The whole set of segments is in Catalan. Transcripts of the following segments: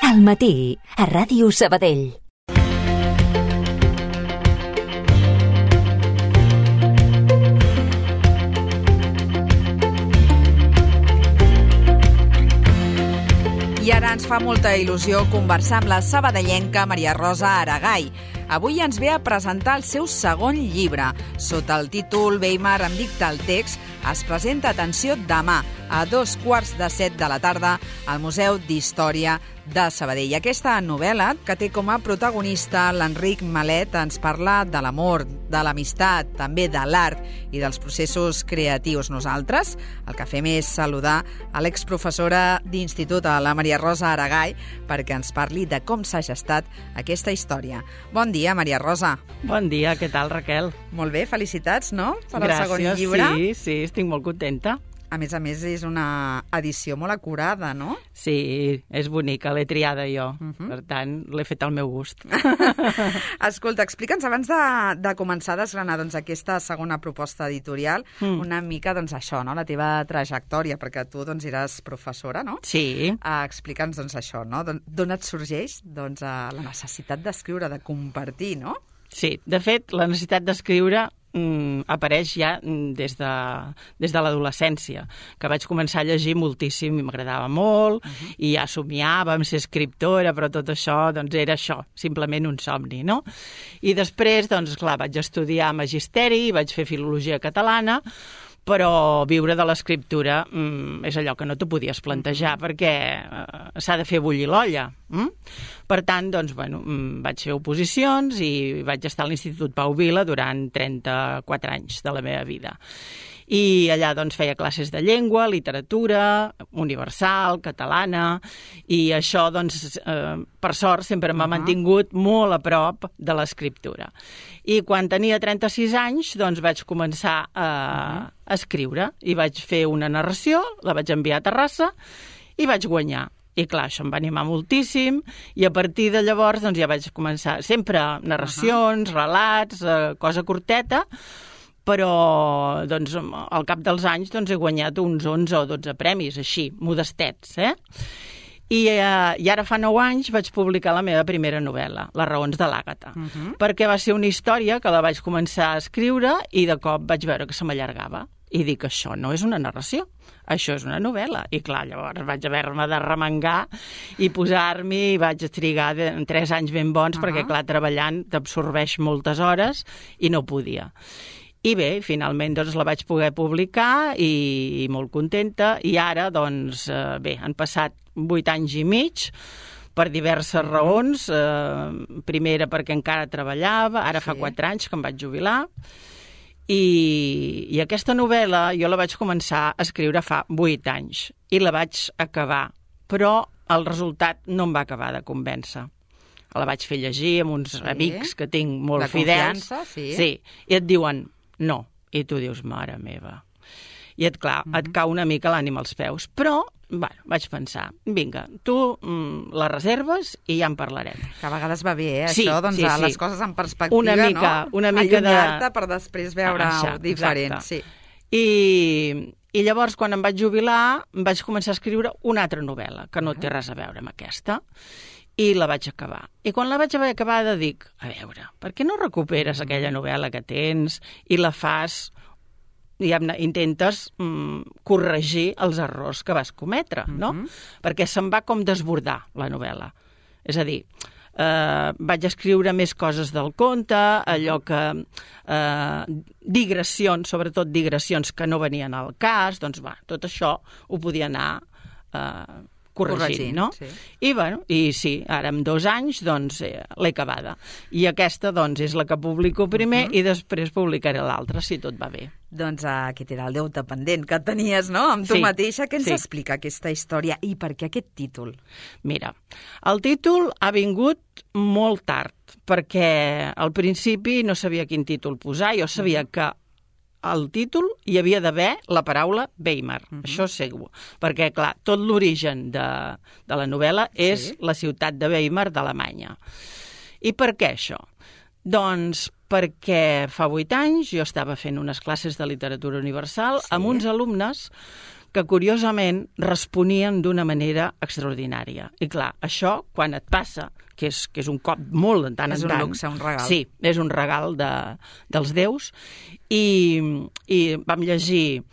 Al matí, a Ràdio Sabadell. I ara ens fa molta il·lusió conversar amb la sabadellenca Maria Rosa Aragay. Avui ens ve a presentar el seu segon llibre. Sota el títol Weimar em dicta el text, es presenta, atenció, demà a 14:15 de la tarda al Museu d'Història de Sabadell. Aquesta novel·la, que té com a protagonista l'Enric Malet, ens parla de l'amor, de l'amistat, també de l'art i dels processos creatius. Nosaltres el que fem és saludar a l'exprofessora d'institut, a la Maria Rosa Aragay, perquè ens parli de com s'ha gestat aquesta història. Bon dia, Maria Rosa. Bon dia, què tal, Raquel? Molt bé, felicitats, no?, per Gràcies, el segon llibre. Sí, estic molt contenta. A més, és una edició molt acurada, no? Sí, és bonica, l'he triada jo. Per tant, l'he fet al meu gust. Escolta, explica'ns, abans de començar a desgranar aquesta segona proposta editorial, una mica, això, no?, la teva trajectòria, perquè tu, eres professora, no? Sí. Explica'ns, això, no?, d'on et sorgeix, la necessitat d'escriure, de compartir, no? Sí, de fet, la necessitat d'escriure apareix ja des de l'adolescència, que vaig començar a llegir moltíssim i m'agradava molt, i ja somiava amb ser escriptora, però tot això, era això, simplement un somni, no? I després, clar, vaig estudiar magisteri, vaig fer filologia catalana, però viure de l'escriptura és allò que no t'ho podies plantejar, perquè s'ha de fer bullir l'olla. Per tant, vaig fer oposicions i vaig estar a l'Institut Pau Vila durant 34 anys de la meva vida. I allà feia classes de llengua, literatura, universal, catalana, i això, per sort, sempre m'ha mantingut molt a prop de l'escriptura. I quan tenia 36 anys, vaig començar a escriure, i vaig fer una narració, la vaig enviar a Terrassa, i vaig guanyar. I clar, això em va animar moltíssim, i a partir de llavors ja vaig començar sempre narracions, relats, cosa curteta, però al cap dels anys he guanyat uns 11 o 12 premis, així, modestets, I ara fa 9 anys vaig publicar la meva primera novel·la, Les raons de l'Àgata, perquè va ser una història que la vaig començar a escriure i de cop vaig veure que se m'allargava. I dic, això no és una narració, això és una novel·la. I clar, llavors vaig haver-me de remengar i posar-m'hi, i vaig trigar 3 anys ben bons, perquè clar, treballant t'absorbeix moltes hores i no podia. I bé, finalment la vaig poder publicar i molt contenta, i ara, han passat 8 anys i mig per diverses raons. Primera perquè encara treballava, ara fa 4 anys que em vaig jubilar, i aquesta novel·la jo la vaig començar a escriure fa 8 anys i la vaig acabar, però el resultat no em va acabar de convèncer. La vaig fer llegir amb uns amics que tinc molt fidels. De confiança, sí. I et diuen no, i tu dius, mare meva. I et cau una mica l'ànima als peus. Però, vaig pensar, vinga, tu la reserves i ja en parlarem. Que a vegades va bé, Sí. Les coses en perspectiva, una mica allunyar-te per després veure-ho diferent. Sí. I llavors, quan em vaig jubilar, vaig començar a escriure una altra novel·la, que no té res a veure amb aquesta, i la vaig acabar. I quan la vaig haver acabada dic, a veure, per què no recuperes aquella novel·la que tens i la fas, intentes corregir els errors que vas cometre, no? Perquè se'm va com desbordar la novel·la. És a dir, vaig escriure més coses del conte, allò que digressions, sobretot digressions que no venien al cas, tot això ho podia anar corregint, no? Sí. I sí, ara en 2 anys l'he acabada. I aquesta és la que publico primer i després publicaré l'altra, si tot va bé. Aquest era el deute pendent que tenies, no?, amb tu mateixa. Què ens explica aquesta història i per què aquest títol? Mira, el títol ha vingut molt tard, perquè al principi no sabia quin títol posar. Jo sabia que al títol hi havia d'haver la paraula Weimar, això segur, perquè, clar, tot l'origen de la novel·la és la ciutat de Weimar d'Alemanya. I per què això? Perquè fa 8 anys jo estava fent unes classes de literatura universal amb uns alumnes que curiosament responien d'una manera extraordinària. I clar, això, quan et passa, que és un cop molt de tant en tant... És un luxe, un regal. Sí, és un regal dels déus. I vam llegir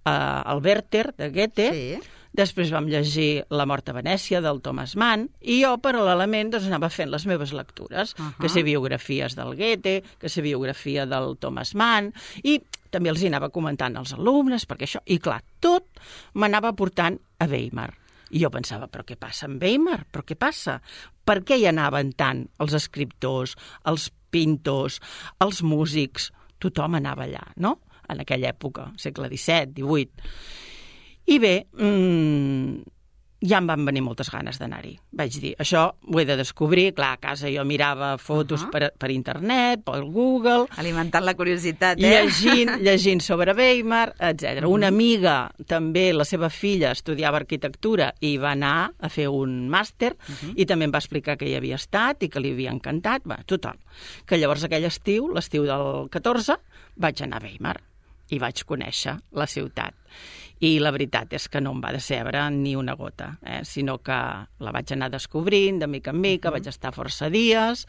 el Werther, de Goethe, després vam llegir La mort a Venècia, del Thomas Mann, i jo, paral·lelament, doncs, anava fent les meves lectures, que sé biografies del Goethe, que sé biografia del Thomas Mann, i també els hi anava comentant als alumnes, perquè això... I clar, tot m'anava portant a Weimar. I jo pensava, però què passa amb Weimar? Però què passa? Per què hi anaven tant els escriptors, els pintors, els músics? Tothom anava allà, no? En aquella època, segle XVII, XVIII. I bé, ja em van venir moltes ganes d'anar-hi. Vaig dir, això ho he de descobrir. Clar, a casa jo mirava fotos per internet, per Google... Alimentant la curiositat, Llegint sobre Weimar, etc. Una amiga, també, la seva filla, estudiava arquitectura i va anar a fer un màster i també em va explicar que hi havia estat i que li havia encantat. Va, total. Que llavors aquell estiu, l'estiu del 14, vaig anar a Weimar i vaig conèixer la ciutat. I la veritat és que no em va decebre ni una gota, sinó que la vaig anar descobrint de mica en mica, vaig estar força dies,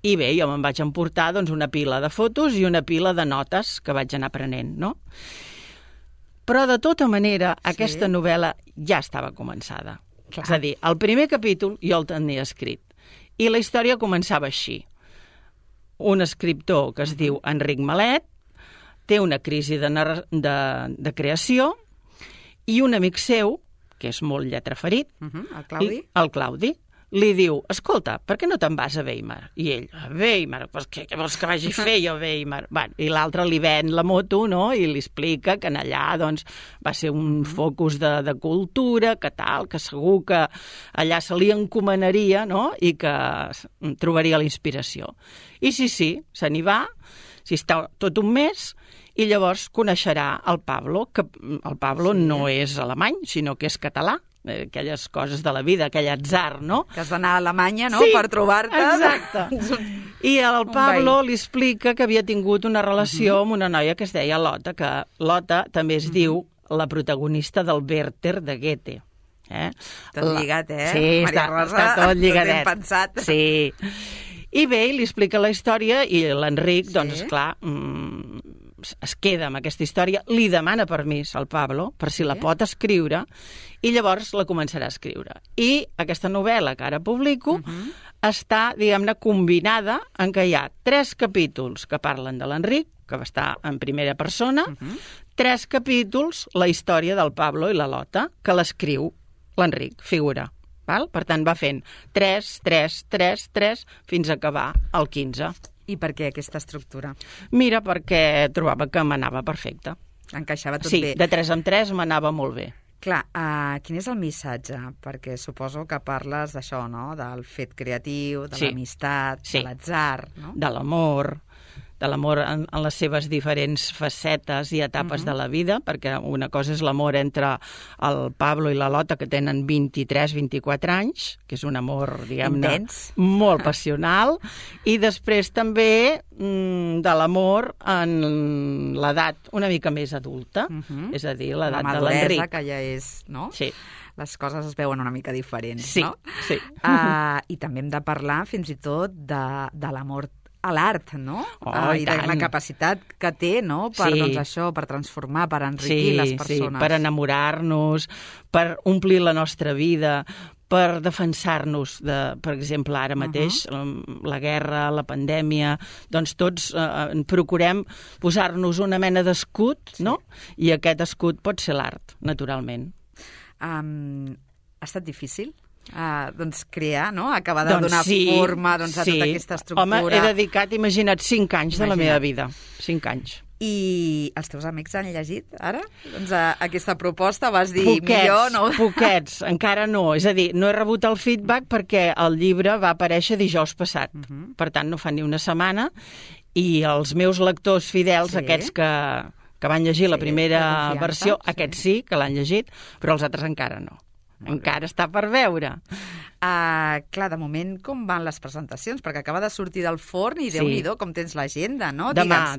i bé, jo me'n vaig emportar doncs, una pila de fotos i una pila de notes que vaig anar aprenent, no? Però de tota manera, aquesta novel·la ja estava començada. Clar. És a dir, el primer capítol jo el tenia escrit, i la història començava així. Un escriptor que es diu Enric Malet té una crisi de creació, i un amic seu, que és molt lletraferit, el Claudi, li diu, escolta, per què no te'n vas a Weimar? I ell, a Weimar? Pues què vols que vagi a fer jo a Weimar? Bueno, i l'altre li ven la moto, no?, i li explica que en allà doncs, va ser un focus de cultura, que tal, que segur que allà se li encomanaria, no?, i que trobaria la inspiració. I sí, se n'hi va, s'hi està tot un mes, i llavors coneixerà el Pablo, que el Pablo no és alemany, sinó que és català, aquelles coses de la vida, aquell atzar, no? Que has d'anar a Alemanya, no?, per trobar-te. Exacte. I el Pablo li explica que havia tingut una relació amb una noia que es deia Lotta, que Lotta també es diu la protagonista del Werther de Goethe. Tot lligat, Sí, Maria Rosa, està tot lligadet. Tot ben pensat. Sí. I bé, li explica la història i l'Enric, doncs, esclar, es queda amb aquesta història, li demana permís al Pablo per si la pot escriure i llavors la començarà a escriure. I aquesta novel·la que ara publico està, diguem-ne, combinada en què hi ha 3 capítols que parlen de l'Enric, que va estar en primera persona, 3 capítols la història del Pablo i la Lota, que l'escriu l'Enric, figura. Val? Per tant, va fent 3, 3, 3, 3, fins a acabar el 15. I per què aquesta estructura? Mira, perquè trobava que m'anava perfecte. Encaixava tot bé. Sí, de 3 en 3 m'anava molt bé. Clar, quin és el missatge? Perquè suposo que parles d'això, no?, del fet creatiu, de l'amistat, de l'atzar, no? De l'amor en les seves diferents facetes i etapes de la vida, perquè una cosa és l'amor entre el Pablo i la Lota, que tenen 23-24 anys, que és un amor, diguem-ne, molt passional, i després també de l'amor en l'edat una mica més adulta, és a dir, l'edat de l'Enric. La maduresa, que ja és, no? Sí. Les coses es veuen una mica diferents, no? Sí. I també hem de parlar fins i tot de l'amor a l'art, no? I de la capacitat que té, no?, per, doncs, això, per transformar, per enriquir les persones. Sí, per enamorar-nos, per omplir la nostra vida, per defensar-nos de, per exemple, ara mateix, la guerra, la pandèmia, doncs tots procurem posar-nos una mena d'escut, no? I aquest escut pot ser l'art, naturalment. Ha estat difícil? Doncs crear, no?, acabar de donar forma a tota aquesta estructura. Home, he dedicat, imagina't, 5 anys de la meva vida. 5 anys. I els teus amics han llegit ara? Doncs aquesta proposta vas dir millor, no? Poquets, encara no. És a dir, no he rebut el feedback perquè el llibre va aparèixer dijous passat. Per tant, no fa ni una setmana. I els meus lectors fidels, aquests que van llegir la primera versió, aquests sí, que l'han llegit, però els altres encara no. Encara està per veure. Clar, de moment, com van les presentacions? Perquè acaba de sortir del forn i Déu-n'hi-do, com tens l'agenda, no? Demà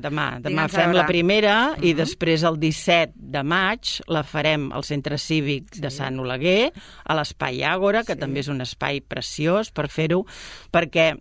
fem la primera i després el 17 de maig la farem al Centre Cívic de Sant Oleguer, a l'Espai Àgora, que també és un espai preciós per fer-ho, perquè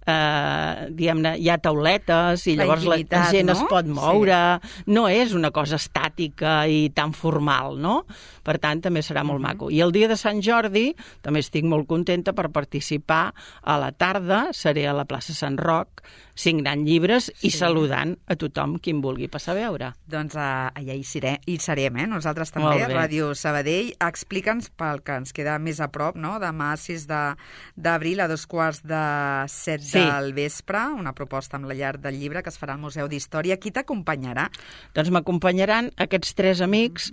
diguem-ne, hi ha tauletes i llavors la gent es pot moure, no és una cosa estàtica i tan formal, no? Per tant, també serà molt maco. I el dia de Sant Jordi també estic molt contenta per participar a la tarda, seré a la plaça Sant Roc, signant llibres i saludant a tothom qui em vulgui passar a veure. Doncs allà hi serem, nosaltres també, a Ràdio Sabadell. Explica'ns, pel que ens queda més a prop, no? Demà 6 d'abril a 7:15 del vespre, una proposta amb la llar del llibre que es farà al Museu d'Història. Qui t'acompanyarà? Doncs m'acompanyaran aquests 3 amics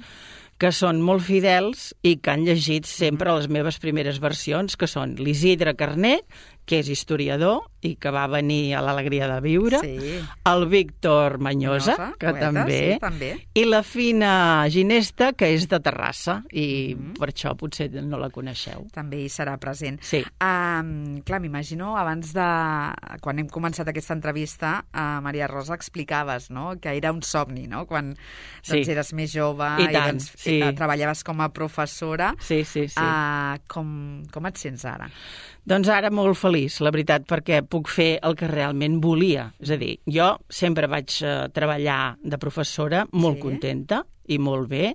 que són molt fidels i que han llegit sempre les meves primeres versions, que són l'Isidre Carné, que és historiador i que va venir a l'Alegria de Viure, el Víctor Manyosa, que també, i la Fina Ginesta, que és de Terrassa, i per això potser no la coneixeu. També hi serà present. Sí. Clar, m'imagino, abans de... Quan hem començat aquesta entrevista, Maria Rosa, explicaves, no?, que era un somni, no?, quan eres més jove i treballaves com a professora. Sí. Com et sents ara? Doncs ara molt feliç, la veritat, perquè puc fer el que realment volia. És a dir, jo sempre vaig treballar de professora molt contenta i molt bé,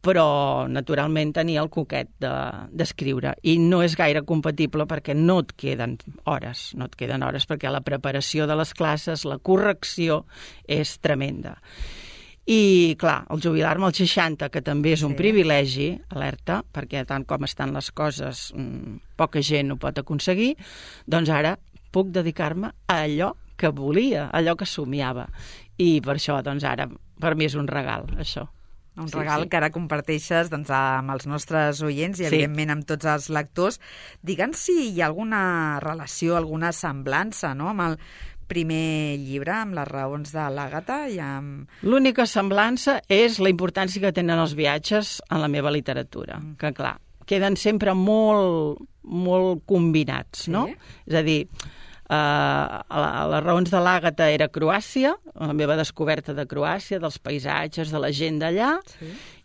però naturalment tenia el coquet d'escriure. I no és gaire compatible perquè no et queden hores, perquè la preparació de les classes, la correcció és tremenda. I, clar, el jubilar-me als 60, que també és un privilegi, alerta, perquè tant com estan les coses, poca gent ho pot aconseguir, doncs ara puc dedicar-me a allò que volia, allò que somiava. I per això, doncs ara, per mi és un regal, això. Un regal que ara comparteixes amb els nostres oients i, evidentment, amb tots els lectors. Digue'ns si hi ha alguna relació, alguna semblança, no?, amb el primer llibre, amb les raons de l'Àgata i amb... L'única semblança és la importància que tenen els viatges en la meva literatura, que, clar, queden sempre molt combinats, no? És a dir, les raons de l'Àgata era Croàcia, la meva descoberta de Croàcia, dels paisatges, de la gent d'allà,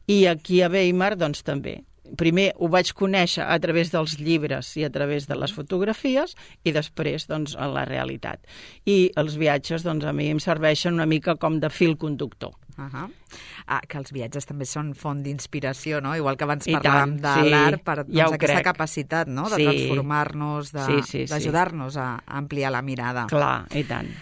i aquí a Weimar, doncs, també. Primer ho vaig conèixer a través dels llibres i a través de les fotografies i després, doncs, a la realitat. I els viatges, doncs, a mi em serveixen una mica com de fil conductor. Que els viatges també són font d'inspiració, no? Igual que abans parlàvem de l'art, per aquesta capacitat, no?, de transformar-nos, d'ajudar-nos a ampliar la mirada. Clar, i tant.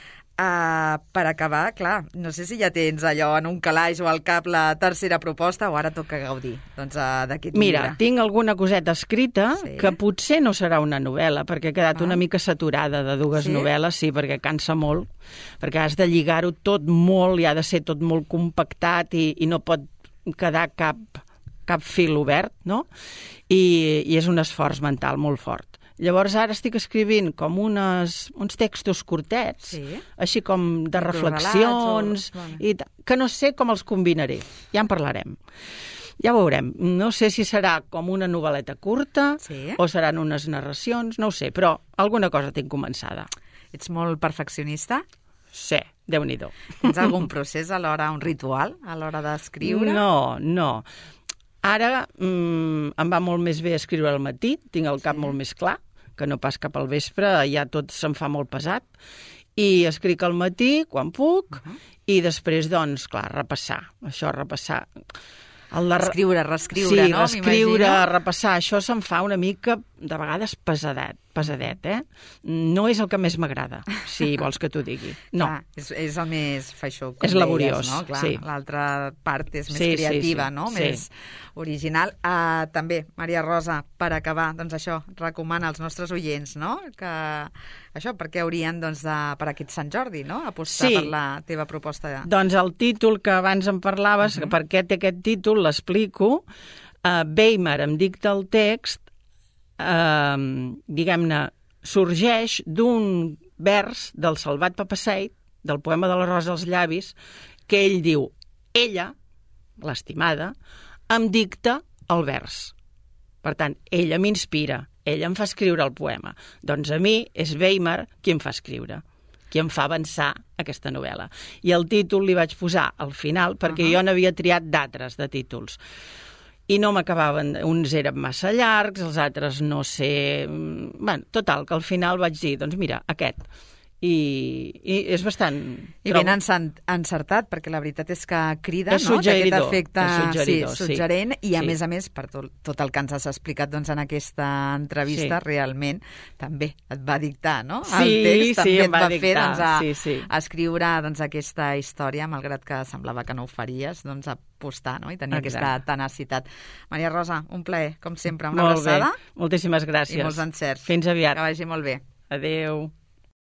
Per acabar, clar, no sé si ja tens allò en un calaix o al cap la tercera proposta o ara toca gaudir d'aquest llibre. Mira, tinc alguna coseta escrita que potser no serà una novel·la, perquè he quedat una mica saturada de dues novel·les, perquè cansa molt, perquè has de lligar-ho tot molt i ha de ser tot molt compactat i no pot quedar cap fil obert, no? I és un esforç mental molt fort. Llavors ara estic escrivint com uns textos curtets, així com de reflexions, que no sé com els combinaré. Ja en parlarem. Ja veurem. No sé si serà com una novel·leta curta o seran unes narracions, no ho sé, però alguna cosa tinc començada. Ets molt perfeccionista? Sí, Déu-n'hi-do. Tens algun procés a l'hora, un ritual a l'hora d'escriure? No. Ara em va molt més bé escriure al matí, tinc el cap molt més clar, que no pas cap al vespre, ja tot se'm fa molt pesat, i escric al matí, quan puc, i després, doncs, clar, repassar. Reescriure, no? Reescriure, repassar, això se'm fa una mica, de vegades, pesadet, No és el que més m'agrada, si vols que t'ho digui. No. És el més feixó, com és laboriós, deies, no? Clar, l'altra part és més creativa, no? Més original. També, Maria Rosa, per acabar, doncs això, recomana als nostres oients, no?, que això, perquè haurien, doncs, per aquest Sant Jordi, no?, apostar per la teva proposta. Doncs el títol que abans em parlaves, per què té aquest títol, l'explico. Weimar em dicta el text, diguem-ne, sorgeix d'un vers del Salvat Papasseit, del poema de la Rosa als llavis, que ell diu, ella, l'estimada, em dicta el vers. Per tant, ella m'inspira, ella em fa escriure el poema. Doncs a mi és Weimar qui em fa escriure, qui em fa avançar aquesta novel·la. I el títol li vaig posar al final perquè jo n'havia triat d'altres de títols. I no m'acabaven, uns eren massa llargs, els altres no sé... Bé, total, que al final vaig dir, doncs mira, aquest. I és bastant... I ben encertat, perquè la veritat és que crida, és no?, aquest efecte suggerent, i a més, per tot el que ens has explicat doncs, en aquesta entrevista, realment també et va dictar, no? El text també et va fer escriure doncs, aquesta història, malgrat que semblava que no ho faries, doncs apostar, no?, i tenir aquesta tenacitat. Maria Rosa, un plaer, com sempre, una abraçada. Moltíssimes gràcies. I molts encerts. Fins aviat. Que vagi molt bé. Adéu.